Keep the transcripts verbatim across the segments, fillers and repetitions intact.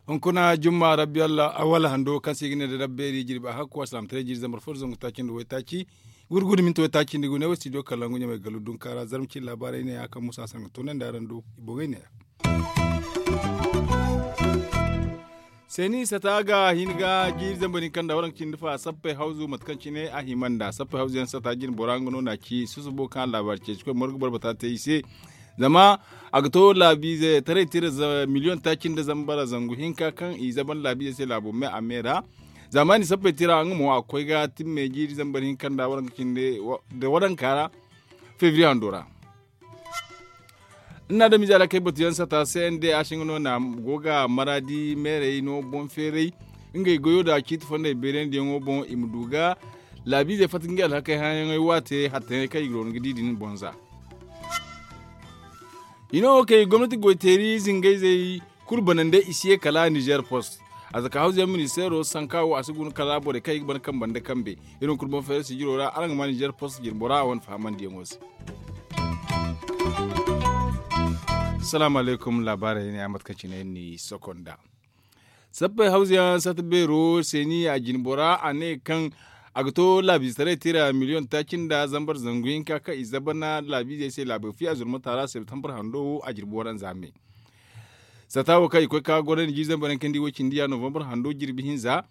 Hunkuna jumma rabbi allah awal hando kaŋ se i ga ne da rabbeeri jirbi a hakku a salaamataray jiiri zambar fo da zangu taaci nda waytaaci gurgudu minti waytaaci nda gune wo studio kalangu ɲamay gallu dunka ra zarma cine laabaarey ne ya kaŋ musa saŋ ga toonandi araŋ do i boŋey ne ya. Seeni sata ga hin ga jiiri zambar hinka nda waranka cindi fa sappey hawzu mate kaŋ cine a hima nda sappey hawzu yaŋ sata jine bora nga no na ci susubo kaŋ a laabaari ceeci koy morgu boro bata te i se. Zama a ga to laabiize taray tira miliyoŋ taaci nda zambar zangu hinka kaŋ i zaban laabiize se laabo me a me ra. Zaamaani sappey tira nga mo a ga koy ga timme jiiri zambar hinka nda waranka cindi da waranka ra febriye hando ra. Ina da mizaala kay batuyaŋ sata se nda a singa no na go ga maraadi meerey no boŋ feeray ngey goyo da ciiti fondey beerandiyaŋo boŋ i ma du ga laabiizey fatta ngey alhakey hayaŋey waate hattayaŋey kaŋ i ga roona ga di din boŋ za. I no wo kay gomnati goyteeri zingayzey kulu banandey i si ye kala nizer post. A zaka hawzuyaŋ ministeero sanka wo a si guna kala borey kaŋ i ga ban kambe nda kambe. Iri hunkuna boŋ feeray sijiro ra araŋ ga ma nizer post jirbo ra a wane fahamandiyaŋo se. Salaamu alaykum laabaarey ne a mate kaŋ cine ni sokonda. Sappey hawzuyaŋ sata beero seeni a jine bora a ne kaŋ a ga to laabiizetaray tira miliyoŋ taaci nda zambar zangu hinka kaŋ i zabana laabiizey se laabo fiya zurmata ra septembar hando wo a jirbi waranza me. Sata wo kaŋ i koy ka gorandi jiiri zambar yaŋ kaŋ di wo cindi ya novembar hando jirbi hinza.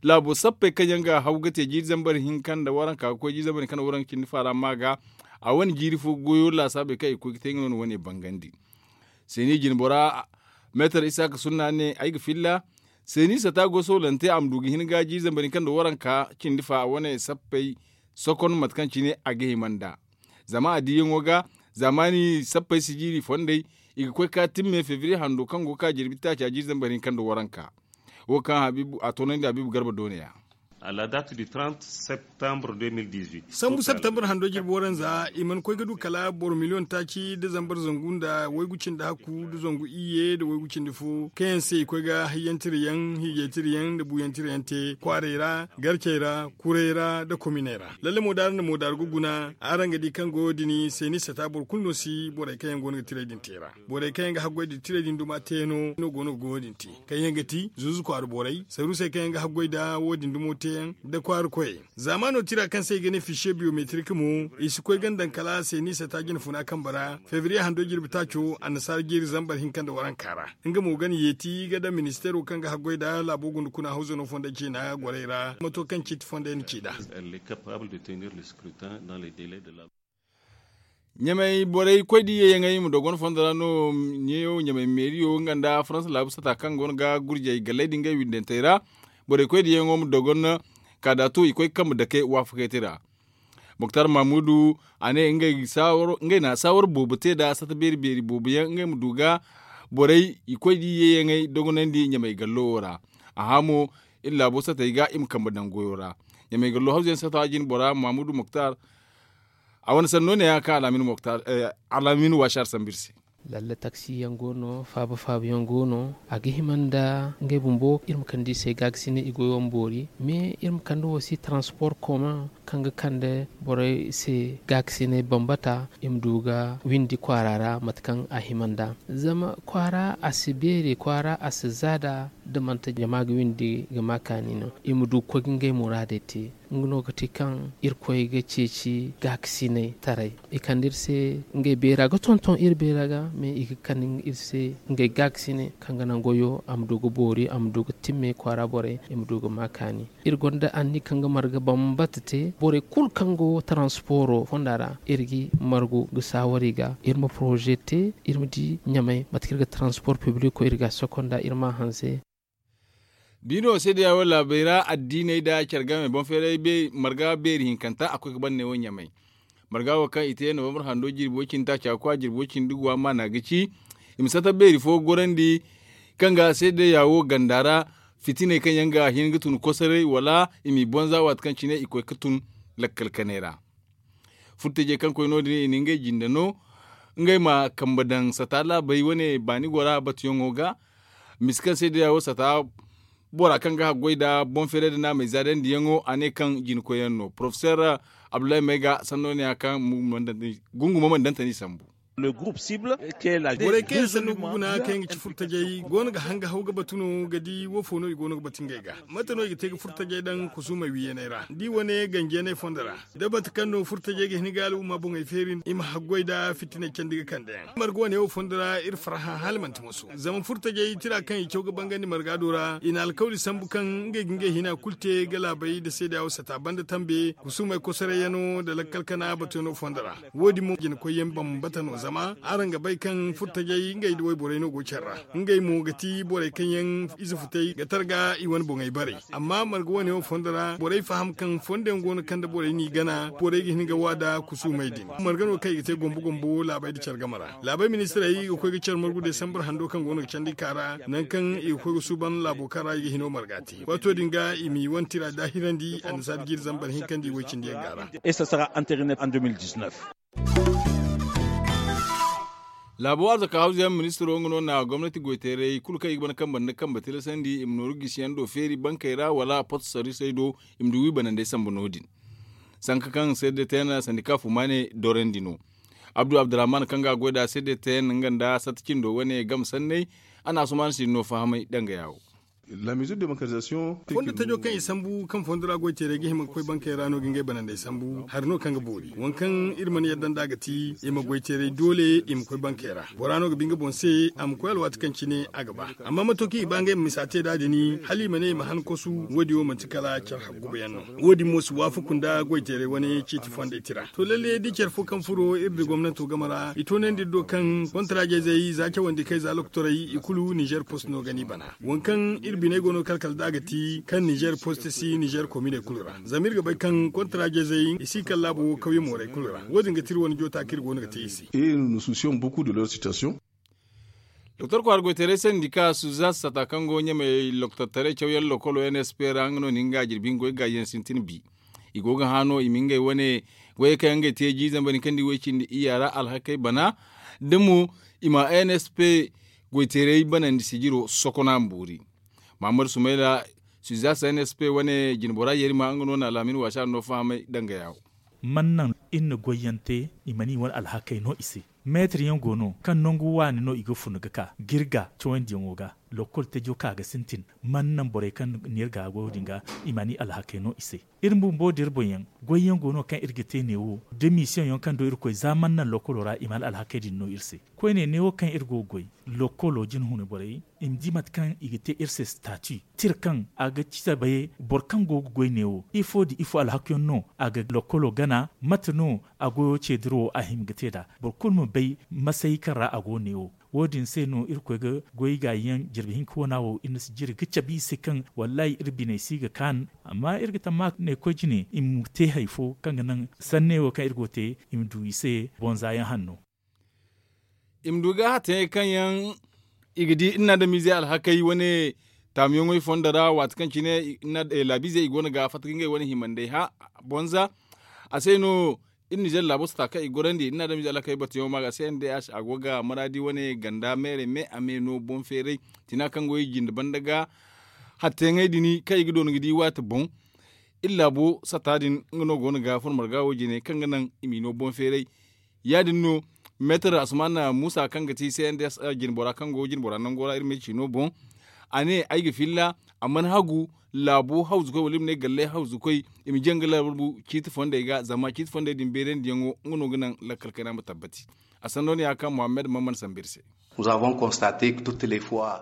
Laabo sappey kaŋ yaŋ ga haw ga te jiiri zambar hinka nda waranka ga koy jiiri zambar hinka nda waranka cindi faara ma ga a wane jiiri fo goyo laasaabey kaŋ i koy ga te nga no na wane bangandi. Seeni jine bora meetar isaaka sunna ne ay ga filla. Seeni sata go soolante a ma du ga hin ga jiiri zambar hinka nda waranka cindi fa a wane sappey sokon mate kaŋ cine a ga hima nda. Zama a diiyaŋo ga zaamaani sappey sijiiri fondey i ga koy ka timme febriye hando kaŋ go ga ka jirbi taaca jiiri zambar hinka nda waranka. Wo kaŋ a toonandi habiibu garba doone ya. A la date du trente septembre deux mille dix-huit sambu septembre hando jirbi waranza i mana koy ga du kala boro miliyoŋ taaci da zambar zangu nda waygu cindi hakku da zangu iyye da waygu cindi fo kaŋ yaŋ se i koy ga hayyaŋ tirayaŋ hiijay tirayaŋ nda buuyaŋ tirayaŋ te kwaarey ra garcey ra kurey ra nda kominey ra lalle moodaari nda moodaari ga guna. Araŋ ga di kaŋ goyo din seeni sata boro kulu no si borey kaŋ yaŋ go no ga tiray din te ra. Borey kaŋ yaŋ ga haggoy da tiray din duma teeno no go no ga goyo din te kaŋ yaŋ ga ti zuuzu kwaara borey saruusey kaŋ yaŋ ga haggoy da wo- din dumo teeyaŋ da kwaara koyey. Zaamaano tira kaŋ se i ga ne fiisiye biyometrik mo i si koy ga daŋ kala seeni sata jine funa kambe ra febriye hando jirbi taaco annasaara jeeri zambar hinka nda waranka ra. Nga mo ga na yeeti ga daŋ ministeero kaŋ ga haggoy da laabo gunda kuna hawzano fonda ciina gorey ra mato kaŋ ciiti fondey na ci nd'a. Ɲamay borey koy da iyye yaŋey ma dogon fondo ra no ɲeeyo ɲamay meeriyo nga nda faransa laabu sata kaŋ go no ga gurjey galley da ngey windantey ra. Borey koy da iyye yaŋo ma dogon kaadaatu i koy ga kambe dake waafakey te ra. Muktar mamudu a ne ngey na saawar boobo te nda sata beeri beeri boobo yaŋ ngey ma du ga borey i koy da iyye yaŋey dogonandi ɲamay gallo wo ra. A hã mo iri laabo satey ga i ma kambe daŋ goyo ra. Ɲamay gallo hawzu yaŋ sata jine bora mamudu muktar. A wane sanno ne ya kaŋ alamin waasi har sambu iri se. Lalle taksi yaŋ go no faaba faaba yaŋ go no. A ga hima nda ngey bumbo iri ma kande i se gaakasinay i goyo ma boori mais iri ma kande wo si transport koma kaŋ ga kande borey se gaakasinay bambata i ma du ga windi kwaara ra mate kaŋ a hima nda. Zama kwaara a si beeri kwaara a si za nda da manti jama ga windi ga ma kaani no i ma du ga koy ga ngey muraadey te. Nga no ga ti kaŋ irkoy ga ceeci gaakasinay taray. I kande iri se ngey beera ga tonton iri beera ga mais i ga kande iri se ngey gaakasinay kaŋ ga naŋ goyo a ma du ga boori a ma du ga timme kwaara borey i ma du ga ma kaani. Iri gonda anni kaŋ ga marga bambata te borey kulu kaŋ go transporo fonda ra iri ga margu ga saawari ga iri ma poroze te iri ma di ɲamay mate kaŋ iri ga transpor publiko iri ga a sokonda iri ma a hanse. Biino se da yaawo laabey ra addiiney da care game boŋ feeray marga beeri hinkanta a koy ga ban ne wo ɲamay. Marga wo kaŋ i te novembre hando jirbi way cindi taaca kwa jirbi way cindi guwa maana ga ci i ma sata beeri fo gorandi kaŋ ga se da yaawo ganda ra fitiney kaŋ yaŋ ga hin ga tun kosoray wala i m'i bonza waati kaŋ cine i koy ga tun lakkal kanay ra. Furtajey kaŋ koy no- din i na ngey jinde no ngey ma kambe daŋ sata laabey wane baani gora batuyaŋo ga. Misi kaŋ se da yaawo sata Bora kaŋ ga haggoy nda boŋ feeray nda naamey zaadandiyaŋo a ne kaŋ jina koyyaŋ no porofeseer abdullahi mayga sanno ne ya kaŋ gunguma mana dantani sambu. Borey kaŋ yaŋ sanno ga guna kaŋ yaŋ ga ci furtajey go no ga hanga haw ga batu no ga di wo fo no i go no ga batu ngey ga. Mate no i ga te ga furtajey daŋ kusuumey wiiyaney ra da i wane ganjiyaney fondo ra, da mate kaŋ no furtajey ga hin ga al'umma boŋey feeri i ma haggoy nda fitiney candi ga kande yaŋ marga wane wo fondo ra iri farhã hala manti moso. Zama furtajey tira kaŋ i caw ga bangandi marga do ra i na alkawli sambu kaŋ ngey ga ngey hina kulu te ga laabey nda seeda wo sata banda tambe kusuumey kosorayyaŋo nda lakkal kana batuyaŋo fondo ra. Wo- din mo jina koyyaŋ bambata no zama araŋ ga bay kaŋ furtajey ngey nda wayborey no go care ra. Ngey mo ga ti borey kaŋ yaŋ ize futay ga targa i wane boŋey bare. Amma marga wane wo fondo ra borey faham kaŋ fondo yaŋ go no kaŋ nda borey n'i gana borey ga hin ga wa nda kusuumey din marga no kaŋ i ga te gombo gombo laabey nda care game ra. Laabey ministirey i ga koy ga care margu desambar hando kaŋ go no ga candi ka ra nangu kaŋ i ga koy ga suuban laabo kaŋ ra i ga hino marga te waato din ga i m'i wane tira daahirandi annasaari jiiri zambar hinkandi way cindi yaŋ ga ra. Laabo arzaka hawzuyaŋ ministiro nga no na gomnati goyteerey kulu kaŋ i ga bana kambe nda kambe tilasandi i ma nooru gisiyaŋ do feeri bankey ra wala posto sarrisey do i ma du wi banandey sambu no- din. Sanka kaŋ seede tayna sandika fumaane dorandi no. Abdu abdurrahman kaŋ ga a goy nda seede tayna nga nda satta cindo wane game sanney a na asumaana si no fahamay dangaya wo. Fondo tajo kaŋ i sambu kaŋ fondo ra goyteerey ga hima ga koy bankey ra no ga ngey banandey sambu hari no kaŋ ga boori waŋ kaŋ iri mana yadda nd'a ga ti i ma goyteerey doole i ma koy bankey ra. Bora no ga ba nga boŋ se a ma koy alwaati kaŋ cine a ga ba. Amma mato kaŋ i ba ngey ma misa te nd'a din hala i ma ne i ma han kosu wo- din wo manti kala care hagguba yaŋ no. Wo- din mo si waafaku nda goyteerey wane ceeti fondey tira to lalle da care fo kaŋ furo iri nda gomnanto game ra i toonandi iri do kaŋ kontaraajeezey za cawandi kay za lokotorey i kulu nizer post no ga n'i bana. Waŋ kaŋ iri biney go no kala kala nd'a ga ti kaŋ nizer post si nizer kominey kulu ra zama iri ga bay kaŋ kontaraajeezey i si kala laabo wo kawye moorey kulu ra wo- din ga ti iri wane joota kaŋ iri go no ga te i se. Doktor kwaara goytaray sandika suzas sata kaŋ go ɲamey loktortaray cawyaŋ lokolo n s p ra nga no na nga jirbi nga goy gaajiyaŋ sintin bi. I go ga hã no i ma ngey wane goyey kaŋ yaŋ ngey te jiizamba din kaŋ di way cindi iyya ra alhakey bana da mo i ma n s p goytaray banandi sijiro sokona ma boori. Mahammad sumayla suzas n s p wane jinbora yerima nga no na alaamin waasa no fahamay danga yaawo. Man naŋ iri na goyyaŋ te i mana i wane alhakey no i se. Meetir yaŋ go no kaŋ nangu waani no i ga fun ga ka ga iri ga cawandiyaŋo ga. Lokkol tajo ka ga sintin man naŋ borey kaŋ na iri ga goyo din ga i mana i alhakey no i se. Iri bumbo da iri boŋ yaŋ goyyaŋ go no kaŋ iri ga te neewo da misiyoŋ yaŋ kaŋ do irkoy za man naŋ lokkolo ra i mana alhakey din no iri se. Koyne neewo kaŋ iri go ga goy lokkolo jinhune borey i ma di mate kaŋ i ga te iri se stati tira kaŋ a ga cabe boro kaŋ go ga goy neewo ifo nda ifo alhakuyaŋ no a ga lokkolo gana mate no a goyo ce dirawo a hima ga te nd'a. Boro kulu ma bay masay kaŋ ra a go neewo. Wo- din se no irkoy ga goy gaayi yaŋ jirbi hinka wana wo iri na si jiri ga cabe i se kaŋ wallaahi iri biney si ga kaanu. Amma iri ga tamma ne koy jine i ma te hari fo kaŋ ga naŋ sanne wo kaŋ iri go ga te i ma du i se bonza yaŋ hanno. I ma du ga hatayaŋey kaŋ yaŋ i ga di iri na adamiizey alhakey wane taamuyaŋey fondo ra waati kaŋ cine laabiizey i go no ga fatta ga ngey wane himandey hã bonza. A se no iri nizer laabo sata kaŋ i gorandi iri na adamiizey alhakey batuyaŋo ma ga se n d h a go ga maraadi wane ganda meerey me a me no boŋ feeray tina kaŋ go i jinde banda ga. Hatayaŋey din kaŋ i ga doona ga di waati boŋ iri laabo sata din nga no go no ga fun marga wo jine kaŋ ga naŋ i m'i no boŋ feeray. Ya- din no meetar asuman muusa kaŋ ga ti c n d s jinbora kaŋ go jinbora nango ra iri ma ay ciino boŋ. A ne ay ga filla a mana hagu laabo hawzukoy wala iri ma ne galley hawzukoy i ma jaŋ ga laabo ciiti fondey ga zama ciiti fondey din beerandiyaŋo nga no ga naŋ lakkal kayna ma tabbati. A sanno no ya kaŋ muhammad mamman sambu iri se.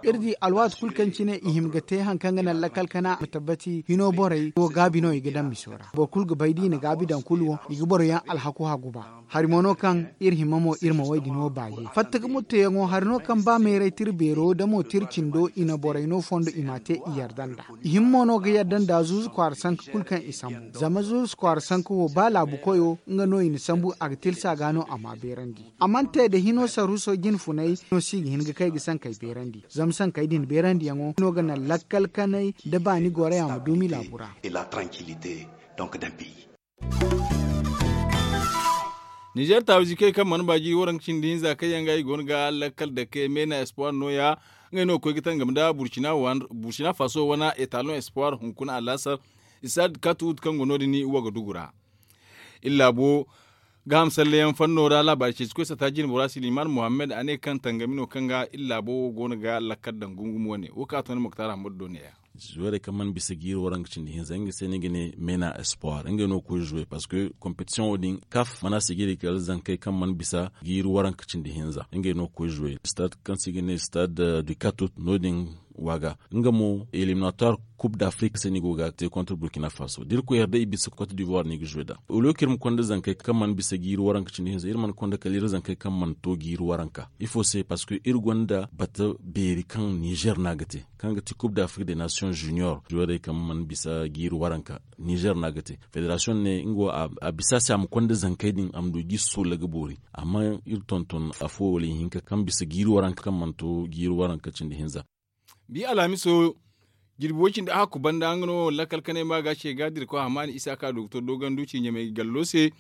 Iri di alwaati kulu kaŋ cine i hima ga te hari kaŋ ga naŋ lakkal kana ma tabbati hino borey wo gaabi no i ga daŋ miso ra boro kulu ga bay da i na gaabi daŋ kulu wo i ga boro yaŋ alhaku hagu ba. Hari mo no kaŋ iri hima mo iri ma way din wo baaje fatta ga mutteyaŋo hari no kaŋ ba meeray tira beero da mo tira cindo i na borey no fondo i m'a te i yarda nd'a. I hima mo no ga yarda nda zuuzu kwaara sanka kulu kaŋ i sambu zama zuuzu kwaara sanka wo ba laabu koyo nga no i na sambu a ga tilsa ga no a m'a beerandi. A mana te da hino saruuso jine funay no si ga hin ga kay ga sankey beerandi zama sankey din beerandiyaŋo no ga naŋ lakkal kanay nda baani goroya ma duumi laabu ra. Nizer taawizikey kaŋ mana baaji waranka cindi hinza kaŋ yaŋ ga i go no ga lakkal dake meena espoir nooya. Ngey no ga koy ga tangam nda burkina faso wane etalon espoir hunkuna alaasar, stade katut kaŋ go no- din wagadugu ra. Iri laabo gaaham salleyaŋ fanno ra laabaari ceeci koy sata jine bora siliman muhammad a ne kaŋ tangami no kaŋ ga iri laabo wo go no ga lakkal daŋ gungum wane wo kaŋ a toonay moktar ahmadu do ne- ya. Zuweerey kaŋ mana bisa jiiri waranka cindi hinza ngey se no i ga ne meena espoir ngey no ga koy zuwe parceque kompetisiyoŋo din kaf mana sijiri kala zankey kaŋ mana bisa jiiri waranka cindi hinza ngey no ga koy zuwe stade kaŋ se i ga ne stade du katut no- din waaga. Nga mo eliminatoire kub d'afrik se no i go ga te kontra burkina faso da iri koy yar day i bisa cote d'ivoire no i ga zuwe nd'a. Au lieu kaŋ iri ma konda zankey kaŋ mana bisa jiiri waranka cindi hinza iri mana konda kala iri zankey kaŋ mana to jiiri waranka ifo se parceque iri gonda bata beeri kaŋ nizer no a ga te kaŋ ga ti kub d'afrik de nation junior zuweerey kaŋ mana bisa jiiri waranka nizer no a ga te. Federasiyoŋ ne nga wo a bisa se a ma konda zankey din a ma du ga i soola ga boori. Amma iri tonton afo wala ihinka kaŋ bisa jiiri waranka kaŋ mana to jiiri waranka cindi hinza. Bi alhamiso jirbi way- cindi a hakku banda nga no lakkal kanay ma ga ce ga dirko hamani isa ka doktor dogandu ci ɲamay gallo se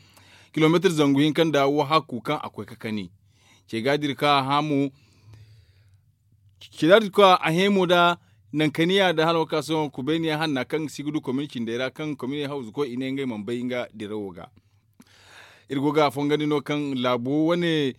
kilomeetir zangu hinka nda wo hakku kaŋ a koy ka kani. Ce ga dirko a hamo ce ga dirko a hemo nda nankaniya nda hala wo ka sohõ kubayniya hanna kaŋ si ga du komini cindey ra kaŋ komini hawzu koy i ne ngey mana bay nga dirawo ga. Iri go ga a fongandi no kaŋ laabo wane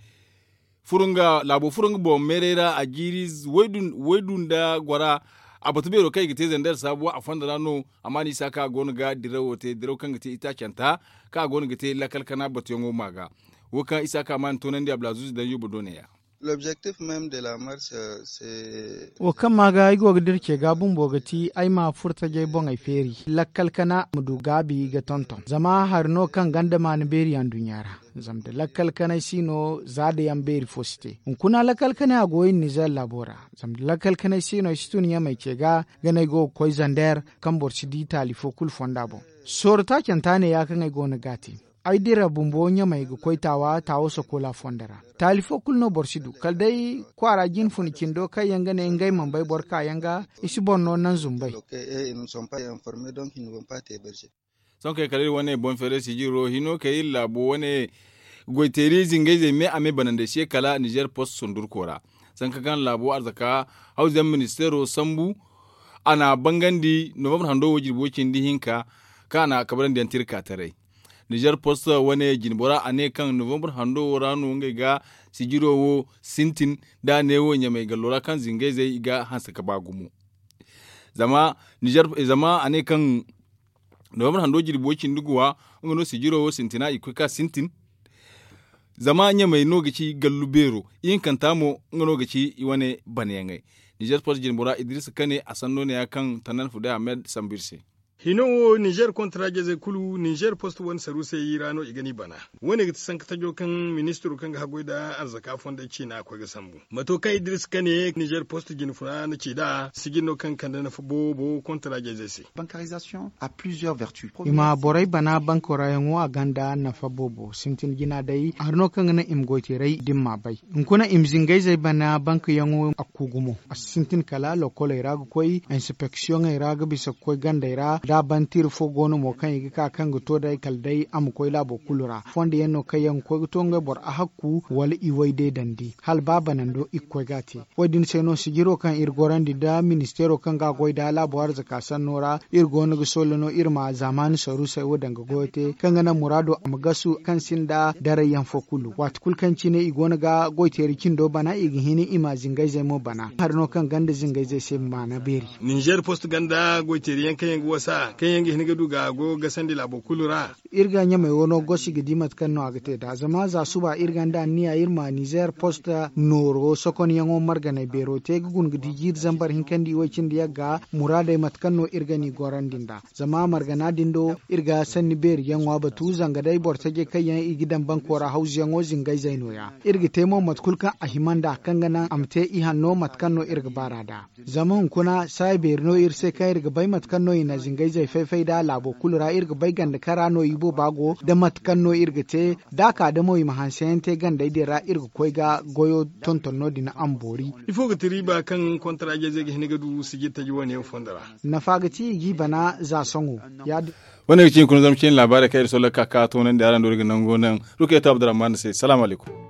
laabo furo nga boŋ meeray ra a jiiri waydu nda gora. A batu beero kaŋ i ga te zander saabuwa a fondo ra no. Amma ni isa kaŋ a go no ga dirawo te diraw kaŋ ga te itaacanta kaŋ a go no ga te lakkal kana batuyaŋo ma ga. Wo kaŋ isa kaŋ a ma ni toonandi abdulaziz danjo bodo ne ya. Wo kaŋ ma ga ay go ga dira ce ga bumbo ga ti ay ma furo tajey boŋey feeri lakkal kana ma du gaabi ga tonton zama hari no kaŋ ganda maana beeri yaŋ duɲɲa ra. Zama da lakkal kanay si no za da yaŋ beeri fo si te hunkuna lakkal kanay a go iri nizer laabo ra. Zama da lakkal kanay si no ay si tun ɲamay ce ga ganay go ga koy zander kaŋ boro si di taali fo kulu fonda boŋ. Sooro taacanta ne ya kaŋ ay go no ga a te. Ay dira bumbo ɲamay ga koy taawa taawa sokola fondo ra. Taali fo kulu no boro si du kala day kwaara jine funa cindo kaŋ yaŋ ga ne ngey mana bay boro kaayaŋ ga. I si boro no naŋ zumbay. Sohõ kay kala iri wane boŋ feeray sijiro hino kay iri laabo wane goyteeri zingayzey me a me banandey se kala nizer post sundurko ra. Sanka kaŋ laabo arzaka hawzu yaŋ ministeero sambu a na a bangandi novambar hando wo jirbi way cindi hinka kaŋ a na a kabrandi yaŋ tirka taray. Nizer post wane jinbora a ne kaŋ novambar hando wo ra no ngey ga sijiro wo sintin da a ne wo ɲamay gallo ra kaŋ zingayzey i ga hanse ka ba gumo. Zama a ne kaŋ novambar hando jirbi way cindi guwa nga no sijiro wo sintina i ga koy ka sintin. Zama ɲamay no ga ci gallu beero ihinkanta mo nga no ga ci i wane banayaŋey. Nizer post jinbora idris kane a sanno ne ya kaŋ tannan fuday ahmed sambu iri se. Hino wo nizer kontra jezey kulu nizer post wane saru se i ra no i ga ni bana. Wo- ne ga ti sanka tajo kaŋ ministiro kaŋ ga haggoy nda arzaka fondey ciina a koy ga sambu mato kaŋ idris kane nizer post jinfuna na ci nd'a sijir no kaŋ ga kande nafa boobo kontra jezey se. I ma borey bana banko ra yaŋo a gonda nafa boobo sintin jina day hari no kaŋ ga naŋ i ma goyteeray da ni m'a bay. Hunkuna i ma zingayzey bana banko yaŋo a ku gumo a si sintin kala lokoley ra ga koy inspeksiyoŋey ra ga bisa ga koy gandey ra da a ban tira fo go no mo kaŋ i ga ka kaŋ ga to day kala day a ma koy laabo kulu ra fondo yaŋ no kaŋ yaŋ ga koy ga to ngey boro ahakku wala i way deedandi hala ba banando i ga koy ga a te. Wo- din se no sijiro kaŋ iri gorandi nda ministeero kaŋ ga a goy nda laabo arzaka sanno ra iri go no ga solla no iri ma zaamaani saruusey wo daŋ ga goyo te kaŋ ga naŋ muraado a ma gasu kaŋ sinda darayyaŋ fo kulu waati kulu kaŋ cine i go no ga goyteeri cindo bana i ga hin i ma zingayzey mo bana hari no kaŋ ganda zingayzey se maana beeri. Nizer post ganda goyteeriyaŋ kaŋ yaŋ ga wasa kaŋ yaŋ ga hin ga du ga goyo gasandi laabo kulu ra. Iri ga ɲamey wo no gosi ga di mate kaŋ no a ga te nd'a zama za suba iri gonda anniya iri ma nizer post nooro sokonyaŋo marganey beero te ga guna ga di jiiri zambar hinka nda iway cindi yagga muraadey mate kaŋ no iri ga n'i gorandi nd'a. Zama margana din do iri ga sanni beeri yaŋo a batu zanga day boro tajey kaŋ yaŋ i ga daŋ banko ra hawzuyaŋo zingayzey nooya. Iri ga te mo mate kulu kaŋ a hima nd'a kaŋ ga naŋ a ma te ihanno mate kaŋ no iri ga baar'a nd'a. Zama hunkuna saaya beeri no iri se kaŋ iri ga bay mate kaŋ no i na zingayzey fay-fay nd'a laabo kulu ra iri ga bay ganda kara no i booba go nda mate kaŋ no iri ga te da a ka da mo i ma hanseyaŋ te gandey din ra iri ga koy ga goyo tonton no- din a ma boori. Ifo ga ti riiba kaŋ kontaraaje-izey ga hin ga du sijir taji wane yaŋ fondo ra? Nafa ga ti i g'i bana za sohõ. Wane ga ci hunkuna zama cine laabaarey kaŋ iri solla ga ka ga toonandi araŋ do iri ga nango naŋ rukayatu abdurrahman se salaamu alaykum.